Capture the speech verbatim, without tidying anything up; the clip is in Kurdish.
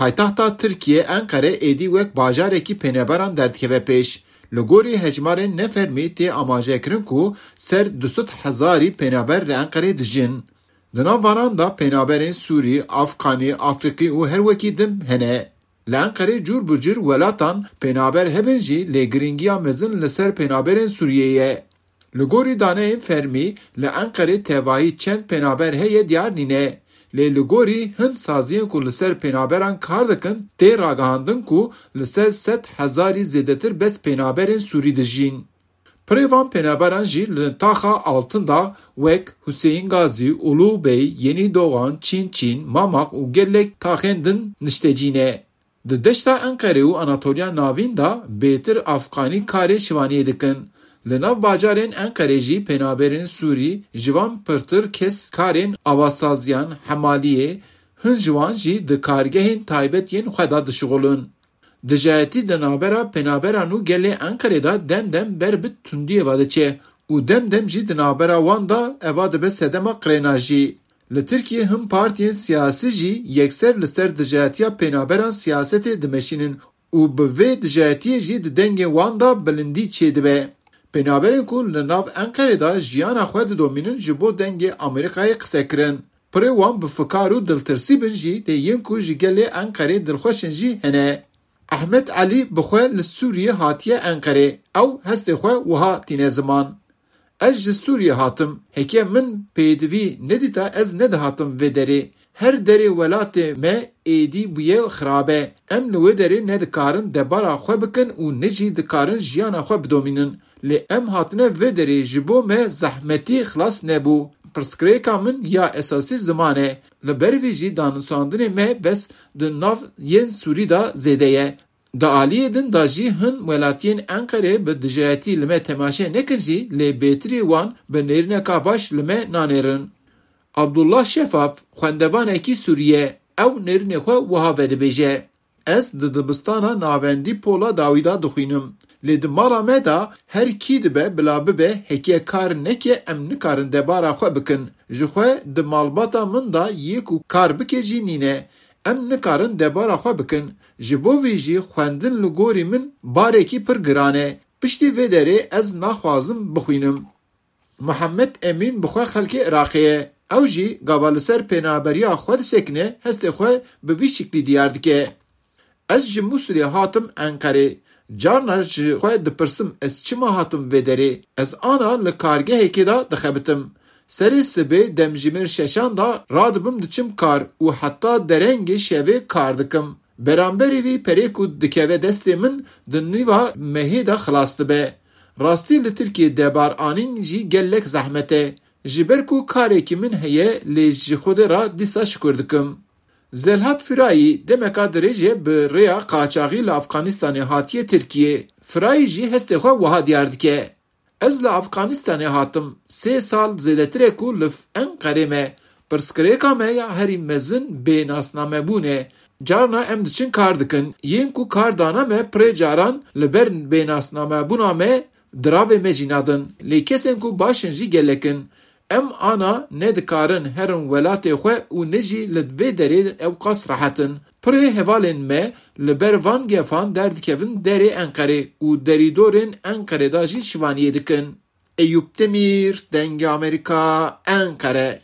Paytexta Tirkiyê Enqere êdî wek bajarekî pênaberan derdikeve pêş. Li gorî hejmarên nefermî tê amajekirin ku ser du sed hezarî pênaber li Enqerê dijîn. Di nav vanan de pênaberên Sûrî, Afxanî, Afrîqî û her wekî din hene. Li Enqerê cûr bi cûr welatan pênaber hebin jî lê giringiya mezin li ser pênaberên Sûriyê ye. Li gorî daneyên fermî, li Enqerê tevahî çend pênaber heye diyar nîne. Lê li gorî hin saziyên ku li ser pênaberan kar dikin, tê ragihandin ku li ser sed hezarî zêdetir bes pênaberên Sûrî dijîn. Pirê van pênaberan jî li taxa Altindağ wek Huseyîn Gazî, Ulû Bey, Yenî Doğan, Çîn Çîn, Mamaq û gelek taxên din niştecî ne. Di deşta Enqerê û Anatoliya Navîn de bêtir Afxanî karê şivaniyê dikin. Li nav bajarên Enqerê jî pênaberên Sûrî ji van pirtir kes karên avasaziyan, hemaliyê, hin ji wan jî di kargehên taybet yên xwe de dişixulin. Dijayetî di navbera pênaberan û gelê Enqerê de dem dem ber bi tundiyê ve diçe û dem dem jî di navbera wan de eva dibe sedema qirêna jî. Li Tirkiyê hin partiyên siyasî jî yekser li ser dijayetiya pênaberan siyasetê dimeşînin û bi vê dijayetiyê jî di dengê wan de bilindî çêdibe. Pênaberên ku li nav Enqerê de jiyana xwe didomînin ji bo dengê Amerîkayê qise kirin. Pirê wan bi fikar û diltirsî bin jî lê yên ku ji gelê Enqerê dilxweş in jî hene. Ehmed Elî bi xwe li Sûriyê hatiye Enqerê. Ew hestê xwe wiha tîne ziman. Ez ji Sûriyê hatim. Heke min pêdivî nedîta ez nedihatim vê derê. Her derê welatê me êdî bûye xirabe. Em li wê derê ne dikarin debara xwe bikin û ne jî dikarin jiyana xwe bidomînin. Lê em hatine vê derê ji bo me zehmetî xilas nebû. Pirsgirêka min ya esasî ziman e. Li ber vî jî danûstandinê me bes di nav yên Sûrî de zêde ye. Di aliyê din de jî hin welatiyên Enqerê bi dijayetî li me temaşe nekin jî lê bêtirî wan bi nêrîneka baş li me nanêrin. Abdullah Şefaf, xwendevanekî Sûrî ye, ew nêrînê xwe wiha vedibêje. Ez di dibistana navendî pola dawî de dixwînim. Lê di mala me de her kî dibe bila bibe, heke kar neke em nikarin debara xwe bikin. Ji xwe di malbata min de yê ku kar bike jî nîne. Em nikarin debara xwe bikin. Ji bo vî jî xwendin li gorî min barekî pir giran e. Piştî vê derê ez naxwazim bixwînim. Mihemed Emîn bi xwe xelkê Iraqê ye. Ew jî gava li ser pênaberiya xwe disekine, hestê xwe bi vî şiklî diyar dike. Ez ji Mûsilê hatim Enqerê. Carna ji xwe dipirsim, ez çima hatim vê derê? Ez ana li kargehekê de dixebitim. Serê sibê demjimêr şeşan de radibim diçim kar û heta derengê şevê kar dikim. Beramberî vî perê ku dikeve destê min di nîva mehê de xilas dibe. Rastî li Tirkiyê debar anîn jî gelek zehmet e. Ji ber ku karekî min heye lê ji Xwedê re dîsa şikur dikim. Zelhat Firayî demeka dirêj e bi rêya qaçaxî li Afganistanê hatiye Tirkiyê. Firayî jî hestê xwe wiha diyar dike. Ez li Afganistanê hatim. Sê sal zêdetir e ku li Enqerê me. Pirsgirêka me ya herî mezin bênasnamebûn e. Carna em diçin kar dikin. Yên ku kar dane me pirê caran li ber bênasnamebûna me diravê me jî nadin. Lê kesên ku baş in jî gelek in. Em ana ne dikarin herin welatê xwe û ne jî li vê derê ewqas rehet in. Pirê hevalên me li ber van gefan derdikevin derê Enqerê û derîdorên Enqerê de jî şivaniyê dikin. Eyûp Demîr, Dengê Amerîka, Enqere.